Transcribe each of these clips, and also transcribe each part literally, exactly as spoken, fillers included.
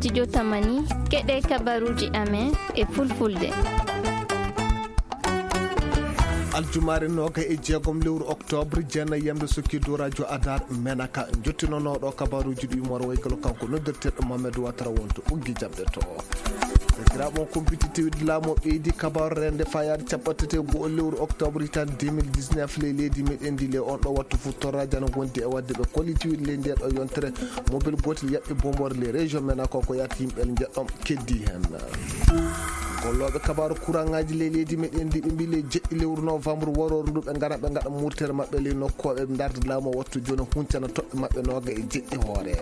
Studio Tamani, keɗe kabaruuji amen e fulfulde. Aljumaare noogay e jeegom lewru oktoobre, jeenay yamde sokki dow rajo Adar Menaka. Njottinonooɗo kabaruuji ɗi Umar Waykalo, kanko noddirteeɗo Mohamed Watara, wonto ɓoggi jamɗe to. Sakiraaɓe, on kumpiti tewde laamu o ɓeydi kabaaru rende fayaade capanɗe tati e go'o lewru oktoobre hitaande deux mille dix-neuf, ley leydi meɗen ndi, ley on ɗo wattu fuu torraaji ana ngondi e waɗde ɓe kollitiwde ley ndee ɗo yontere. Mobel gootel yaɓɓi bomboore ley région men, ko ko yaata yimɓe njeɗɗon keddi heen. Gollooɓe kabaaru kuraŋaaji ley leydi meɗen ndi, ɓe mbii ley jeɗɗi lewru novembre warooru ndu, ɓe ngaran ɓe ngaɗa murtere maɓɓe ley nokkooɓe ndarde laamu o wattu jooni, huncana toɓɓe maɓɓe nooga e jeɗɗi hoore.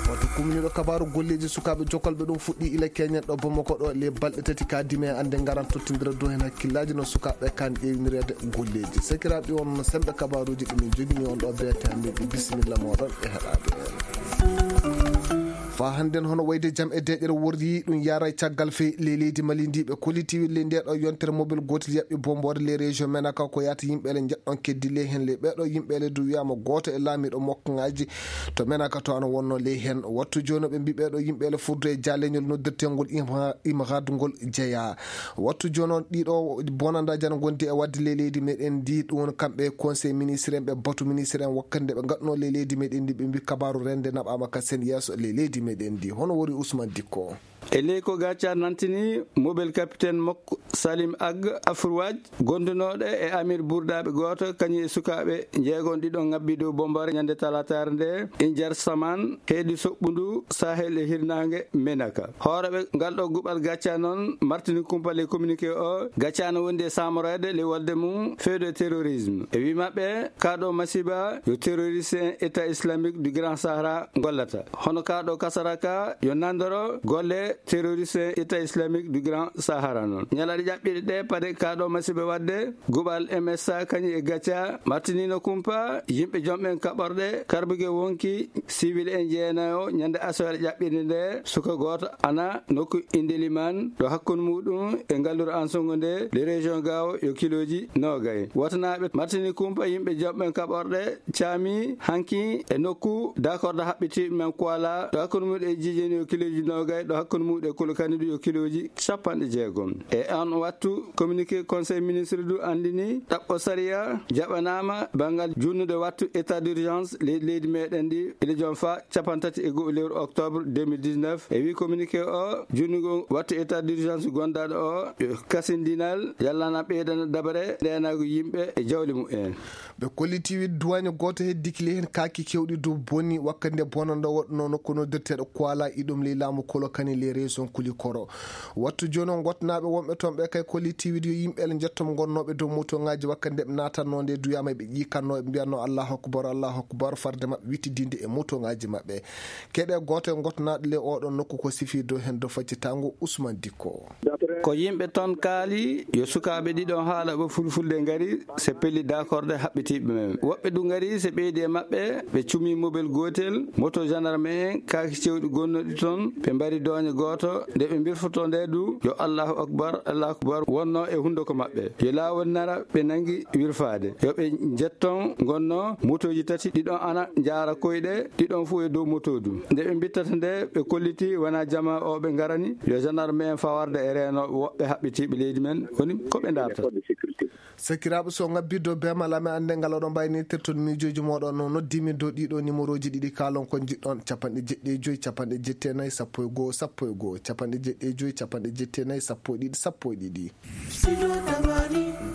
Waɗtu kumniiɗo kabaaru golleeji sukaaɓe jokolɓe ɗum fuɗɗii ila keñen ɗo Bamako ɗo, ley balɗe tati kaa dime annde ngaran tottindira dow heen hakkillaaji no sukaaɓe kaan ƴeewnireede golleeji. Sakiraaɓe, on no semmbe kabaaruuji ɗi min njogini on ɗo beete hannde ɗi. Bisimilla mooɗon e heɗaade en. Faa hannden hono wayde jam e deeƴere worri ɗum yaara e caggal fey ley leydi Mali ndi, ɓe kollitiwde ley ndee ɗo yontere mobel gootel yaɓɓi bomboore ley région Menaka ko yaata yimɓe le njeɗɗon keddi ley heen ley ɓee ɗo yimɓe le du wiyaama gooto e laamiiɗo mokkaŋaaji to Menaka to ana wonnoo ley heen. Wattu jooni ɓe mbii ɓee ɗo yimɓe le furdu e jaaleñol noddirteengol Imha-, Imhad ngol jeyaa. Wattu jooni on ɗiɗo bonandaaji ana ngondi e waɗde ley leydi meɗen ndi, ɗum woni kamɓe conseil ministre en, ɓe batu ministre en wakkati nde ɓe ngaɗnoo ley leydi meɗen ndi, ɓe mbii kabaaru rende naɓaama ka seen yeeso ley leydi meɗen ndi. Hono wori Ousmane Dikko. E ley ko Gaca nantini, mobel capitaine makko Salim Ag Afrouadj, gondunooɗo e amir burdaaɓe gooto, kañum e sukaaɓe njeegon ɗiɗon ŋabbii dow bombaare ñande talaataare nde, Injar Saman, heedi soɓɓundu Sahel e hirnaange Menaka. Hooreeɓe ngal ɗo guɓal Gaca noon martini kumpa ley communiqué o, Gaca no wondi e saamoroyde ley wolde mum feuille de terrorisme. E wii maɓɓe, kaa ɗo masiiba yo terroriste en État islamique du Grand Sahara ngollata. Hono kaa ɗo Kasaraka yo nanndoro golle terroriste État islamique du Grand Sahara noon. Ñalaaɗe ƴaɓɓiiɗe ɗe, paade kaa ɗo masiiba waɗde, guɓal M S A kañum e Gaca martiniino kumpa yimɓe jom ɓen kaɓorɗe karbuge wonki siwil en jeenayo ñande asewaare ƴaɓɓiinde nde, suka gooto ana nokku Indeliman ɗo hakkunde muuɗum e ngalluru Ansongo nde, le région Gao, yo kilooji noogay. Watanaaɓe martini kumpa yimɓe jom ɓen kaɓorɗe caami hanki e nokku dakorde haɓɓitiiɓe men Kuala, ɗo hakkunde muuɗum e Jijeni yo kilooji noogay, ɗo hakkunde muuɗum e Kulokani du yo kilooji capanɗe jeegom. E on wattu, communiqué conseil ministre du anndini ɗaɓɓo sariya jaɓanaama banngal junnude wattu état d'urgence leydi, leydi meɗen ndi, ila joom faa cappanɗe tati e go'o lewru octobre deux mille dix-neuf. E wii communiqué o, junnugo wattu état d'urgence gondaaɗo o, yo kasindinal yallana ɓeydana dabare ndeenaagu yimɓe e jawle mumen. Ɓe kolliti wiide duwaaño gooto heddike ley heen kaaki keewɗi dow bonni wakkati nde bonannda waɗunoo nokku noddirteeɗo Kuala, iɗum ley laamu Kolokani ley région Kulikoro. Wattu jooni o, ngottanaaɓe wonɓe toon ɓe kay kolliti wiide yo yimɓe le njetto mo ngonnooɓe dow motoŋaaji wakkati nde ɓe naatannoo nde duyaama eɓe ƴiikannoo, eɓe mbiyannoo Allahu akbar, Allahu akbar, farde maɓɓe wittidinde e motoŋaaji maɓɓe. Keɗe gooto e ngottanaaɗo ley oɗon nokku ko sifii dow heen dow faccitaango Usman Dikko. Ko yimɓe ton kaali yo sukaaɓe ɗiɗon haalaɓe fulfulde ngari, se pelli dakorde haɓɓitiiɓe men. Woɓɓe du ngari se ɓeydi e maɓɓe, ɓe cumi mobel gootel, moto gendarme en, kaaki cewɗi gonnooɗi ton, ɓe mbari dooñe gooto, nde ɓe mbirfotoo nde du, yo Allahu akbar, Allahu akbar wonnoo e hunduko maɓɓe. Yo laawol nara ɓe nangi wirfaade. Yo ɓe njetton ngonnoo motooji tati, ɗiɗon ana njaara koyɗe, ɗiɗon fof e dow moto du. Nde ɓe mbittata nde, ɓe kolliti wonaa jamaa o ɓe ngarani, yo gendarme en fawarde e reenooɓe woɓɓe haɓɓitiiɓe leydi men, woni ko ɓe ndaartata. Sakiraaɓe, so ngabbii dow beemal amen, annde ngal oɗon mbaawi nittirde toon miijooji mooɗon. No noddii min dow ɗiɗo nimerooji ɗiɗi, kaalon ko njiɗɗon, capanɗe jeɗɗi e joy, capanɗe jeɗɗi e nayi, sappo e go'o, sappo e go'o, capanɗe jeɗɗi e joy, capanɗe jeɗɗi e nayi, sappo e ɗiɗi, sappo e ɗiɗi.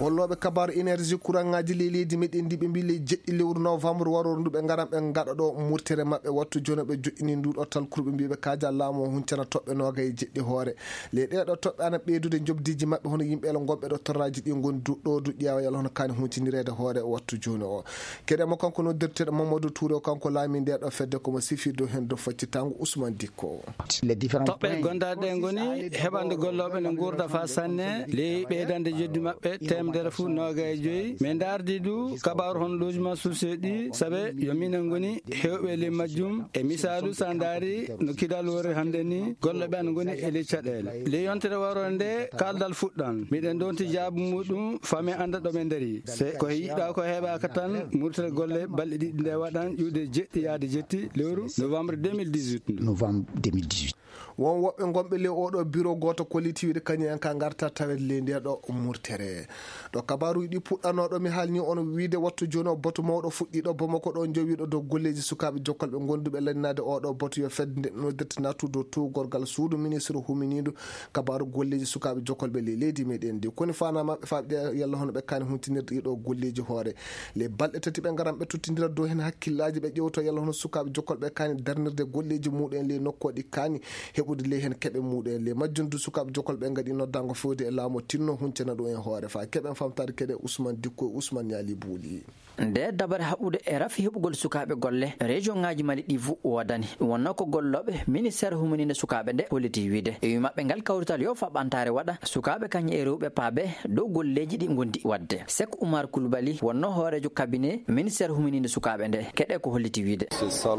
Gollooɓe kabaaru energie kuraŋaaji ley leydi meɗen ndi, ɓe mbii ley jeɗɗi lewru novembre warooru ndu ɓe ngaran ɓe ngaɗa ɗo murtere maɓɓe. Wattu jooni ɓe joɗɗini ndu ɗo talkuru, ɓe mbii ɓe kaaja laamu o huncana toɓɓe noogay e jeɗɗi hoore. Ley ɗee ɗo toɓɓe ana ɓeydude njoɓdiiji maɓɓe, hono yimɓe le ngonɓe ɗo torraaji ɗi ngoni du-, ɗo du ƴeewa yalla hono kaani huncinireede hoore wattu jooni o. Keɗe mo kanko noddirteeɗo Mamadou Touré o, kanko laamii ndee ɗoo fedde, ko mo sifii dow heen dow faccitaango Ousmane Dikko. Toɓɓe gondaaɗe ɗee ngoni heɓande gollooɓe ne nguurda faa sanne ley ɓeydande njoɓdi maɓɓe, teemde Tere fu noogay joyi. Min ndaardi du kabaaru hono logement social ɗi, sabe yo minen ngoni heewɓe ley majjum. E misaalu, so a ndaari no kidal worri hannde ni, gollooɓe ana ngoni e ley caɗeele. Ley yontere waroo nde, kaaldal fuɗɗan. Miɗen ndonti jaabu muuɗum, faa min annda ɗo min ndarii. Se ko yiɗaa ko heɓaaka tan, murtere golle balɗe ɗiɗi nde waɗan ƴiwde jeɗɗi yaade jetti lewru novembre deux mille dix-huit ndu. Novembre deux mille dix-huit. Won woɓɓe ngonɓe ley oo ɗoo biro gooto kolliti wiide kañum en ka ngarta tawet ley ndee ɗoo murtere. Ɗo kabaaruuji ɗii puɗɗanoo ɗoo, mi haalnii on wiide wattu jooni oo batu mawɗo fuɗɗii ɗoo Bamako ɗoo, jowiiɗo dow golleeji sukaaɓe jokkolɓe gonduɓe lanninaade oo ɗoo batu yo fedde nde noddirta nattude dow tuugorgal suudu ministre huminiindu kabaaru golleeji sukaaɓe jokkolɓe ley leydi meɗen ndi. Koni faanaa maɓɓe faa ɓe ƴeewa yalla hono ɓe kaani huntinirde ɗii ɗoo golleeji hoore. Ley balɗe tati ɓe ngaran ɓe tottindira dow heen hakkillaaji, ɓe ƴeewto yalla hono sukaaɓe jokkolɓe kaani darnirde golleeji muuɗum en ley nokkooɗi kaani heɓude ley heen keɓe muuɗum en. Ley majjum du sukaaɓe jokkolɓe ɓe ngaɗi noddaango fewde e laamu o tinno huncana ɗum en hoore faa keɓen famtaade keɗe Usman Dikko e Usman Ñaali Buuli. Nde dabare haɓude e rafi heɓugol sukaaɓe golle, regionŋaaji Mali ɗii fuu woodani. Ɗum wonnoo ko gollooɓe ministeer humaniinde sukaaɓe nde holliti wiide. E wii maɓɓe ngal kawrital yo faa ɓantaare waɗa, sukaaɓe kañum e rewɓe paabee dow golleeji ɗi ngondi waɗde. Sek Umar Kulbali wonnoo hooreejo kabinee ministeer humaniinde sukaaɓe nde. Keɗee ko holliti wiide.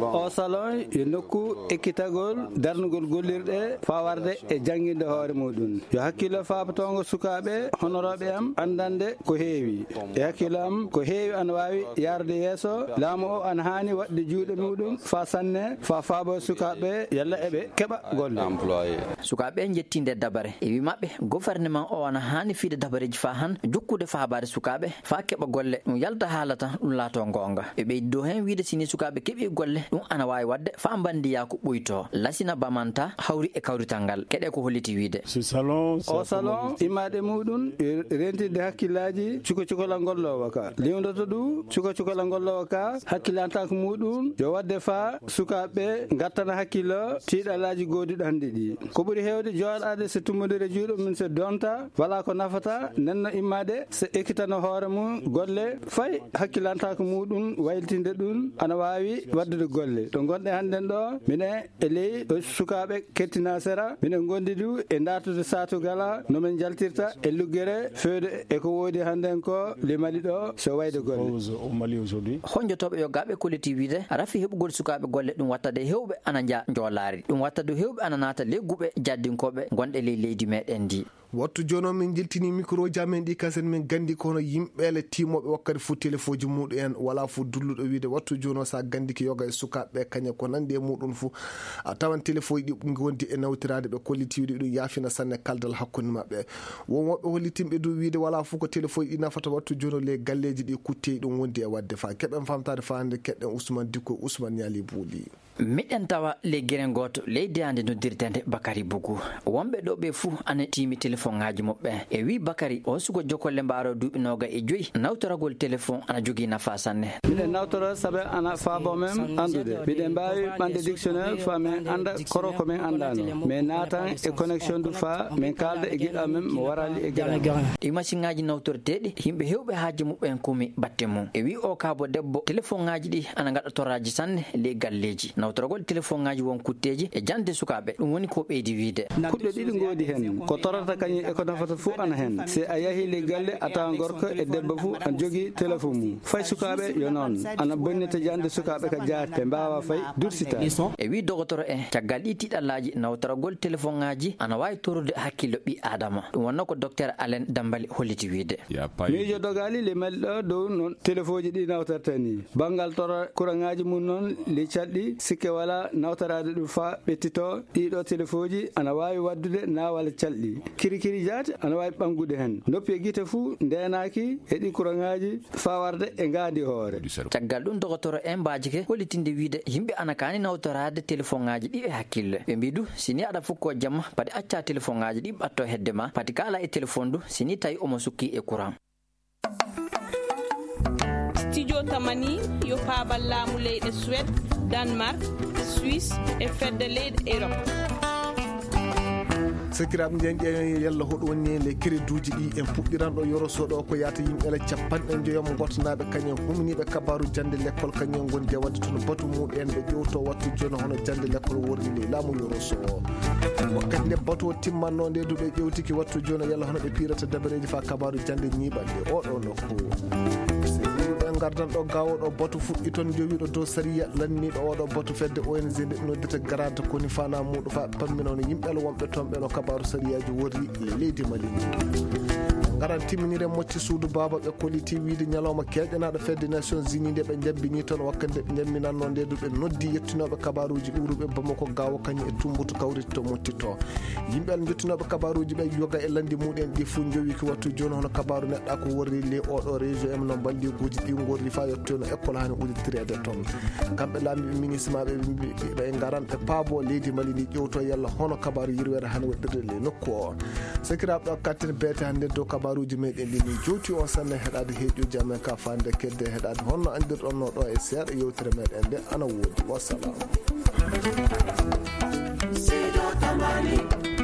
Oo salon yo nokku ekkitagol darnugol gollirɗe faa warde e jannginde hoore muuɗum. Yo hakkillo faabotoongo sukaaɓe honorooɓe am anndande ko heewi. E hakkillo am, ko heewi ana waawi yaarde yeeso. Laamu o ana haani waɗde juuɗe muuɗum faa sanne, faa faaboo sukaaɓe yalla eɓe keɓa golle. Sukaaɓe ɓee njettii ndee dabare. E wii maɓɓe, goferneman o ana haani fiyde dabareeji faa han jokkude faabaade sukaaɓe faa keɓa golle. Ɗum yalta haala tan, ɗum laatoo goonga. Ɓe ɓeydi dow heen wiide si nii sukaaɓe keɓii golle, ɗum ana waawi waɗde faa mbandiyaaku ɓuytoo. Lasina Bamanta hawri e kawrital ngal. Keɗee ko holliti wiide. Oo salon immaade muuɗum e rentinde hakkillaaji cuka cukalal ngolloowo ka. Liwndoto du cuka cukalal ngolloowo ka hakkilantaaku muuɗum yo waɗde faa sukaaɓe ngattana hakkillo tiiɗalaaji gooduɗi hannde ɗii. Ko ɓuri heewde jooɗaade so tummbondiral juuɗe mum so donta, walaa ko nafata, nenno immaade so ekkitano hoore mum golle fay hakkilantaaku muuɗum waylitinde ɗum ana waawi waɗdude golle. Ɗo ngonɗen hannden ɗoo, minen e ley sukaaɓe kettinaa sera, minen ngondi du e ndaartude saatu gala no min njaltirta e luggere feewde e ko woodi hannden ko ley Mali ɗoo so wayde golle. Honjotooɓe yogaaɓe kolliti wiide rafi heɓugol sukaaɓe golle ɗum watta de heewɓe ana njaa njoolaari. Ɗum watta du heewɓe ana naata ley guɓe jaddinkooɓe gonɗe ley leydi meɗen ndi. Wattu jooni o min njiltinii mikrooji amen ɗii kasen min ganndi ko hono yimɓeele tiimooɓe wakkati fuu telefooji muuɗum en walaa fuu dulluɗo wiide wattu jooni o so a ganndike yoga e sukaaɓe ɓee kañe ko nanndi e muuɗum fuu a tawan telefooji ɗii ngondi e nawtiraade ɓe kolliti wiide ɗum yaafina sanne kaldal hakkunde maɓɓe. Won woɓɓe hollitinɓe du wiide walaa fuu ko telefooji ɗii nafata wattu jooni o ley galleeji ɗii kutteeji ɗum wondi e waɗde faa keɓen famtaade faa hannde keɗɗen Usman Dikko e Usman Ñaali Buuli. Miɗen tawa ley gere gooto ley deyaande noddirteende Bakari Bugu. Wonɓe ɗoo ɓee fuu ana tiimi telefoŋaaji muɓɓen. E wii Bakari, oo suka jokolle mbaaroo duuɓi noogay e joy, nawtoragol telefoŋ ana jogii nafaa sanne. Miɗen nawtora sabe ana faaboo men anndude. Miɗen mbaawi ɓamde dictionnaire faa min annda koro ko min anndaano. Min naatan e connexion du faa min kaalda e giɗo amen mo waraali e gere. Ɗii masiŋaaji nawtorteeɗi, yimɓe heewɓe haaju muɓɓen kumi batte mum. E wii oo kaabo debbo, telefoŋaaji ɗii ana ngaɗa toraaji sanne ley galleeji. Nawtoragol telefoŋaaji won kutteeji e jannde sukaaɓe, ɗum woni ko ɓeydi wiide. Kuɗɗe ɗiɗi ngoodi heen, ko torata kañum e ko nafata fuu ana heen. Si a yahii ley galle, a tawan gorko e debbo fuu ana jogii telefoŋ mum. Fay sukaaɓe yo noon, ana bonnita jannde sukaaɓe ka jaati, ɓe mbaawaa fay dursitaade. E wii dogotoro en, caggal ɗii tiiɗallaaji, nawtoragol telefoŋaaji ana waawi torrude hakkillo ɓii aadama. Ɗum wonnoo ko dokteer Alen Dambali holliti wiide. Miijo dogaali ley Mali ɗoo dow no telefooji ɗii nawtorta nii. Banngal tora kuraŋaaji mum noon ley calɗi, sikke walaa nawtoraade ɗum faa ɓettitoo. Ɗii ɗoo telefooji ana waawi waɗdude naawal calɗi. Kirikiri jaati ana waawi ɓanngude heen. Noppi e gite fuu ndeenaaki e ɗii kuraŋaaji faa warde e ngaandi hoore. Caggal ɗum, dogotoro en mbaajike hollitinde wiide yimɓe ana kaani nawtoraade telefoŋaaji ɗii e hakkille. Ɓe mbii du, si nii aɗa fukkoo jamma, pati accaa telefoŋaaji ɗii ɓattoo hedde maa, pati kaalaa e telefoŋ du, si nii tawii omo sukkii e kuraŋ. Studio Tamani yo paabal laamu leyɗe Suwed, Danmark, Suisse e fedde leyɗe Erop. Sakiraaɓe, njeñƴe yalla hoɗo woni e le kereduuji ɗi en puɗɗiran ɗo yoro soɗo ko yaata yimɓe la capanɗe njoyom ngotnaaɓe kañen humniiɓe kabaaru jannde lekkol kañen ngon jawadi toon batu muɗen ɓe ƴewto wattu jooni hono jannde lekkol worri ley laamu yoro soɗo. Wakkati nde batu o timmanno nde duɓe ƴewtiki wattu jooni yalla hono ɓe piirata dabareeji faa kabaaru jannde ñiiɓande oɗo nokku. Ɓe ngardan ɗo gaawo ɗo batu fuɗɗi toon jowiiɗo dow sariya lanniiɗo oɗo batu fedde O N G nde noddita garanta koni fana muɗo fa pammina hono yimɓe la wonɓe toon ɓe no kabaaru sariyaaji worri ley leydi Mali ndi. Ngaran timminire mocci suudu baaba ɓe koliti wiide ñalawma keeƴanaaɗo fedde Nations Unies nde ɓe njabbini toon wakkati nde ɓe njamminanno nde du ɓe noddi yettinooɓe kabaaruuji ɗuuruɓe Bamako gaawo kañum e tumbutu kawriti to motti to. Yimɓe Alla njottinooɓe kabaaruuji ɓe yoga e lanndi muɗen ɗi fuu njowi ki wattu jooni hono kabaaru neɗɗa ko worri ley oɗo région en no mballiiguuji ɗi ngorri faa yettoyno école haani uditireede toon. Kamɓe laamiiɓe ministre maɓɓe ɓe mbi ɓe ngaran ɓe paabo leydi Mali ndi ƴewto yalla hono kabaaru yirweede haani waɗirde ley nokku o. Sakiraaɓe ɗo katten beete hannde dow kabaaruuji meɗen ɗi min jowti on sanne heɗaade heeƴuuji amen ka faande kedde heɗaade honno anndirɗon no ɗo e seeɗa yewtere meɗen nde ana woodi. Wassalam. Seydi Tamani.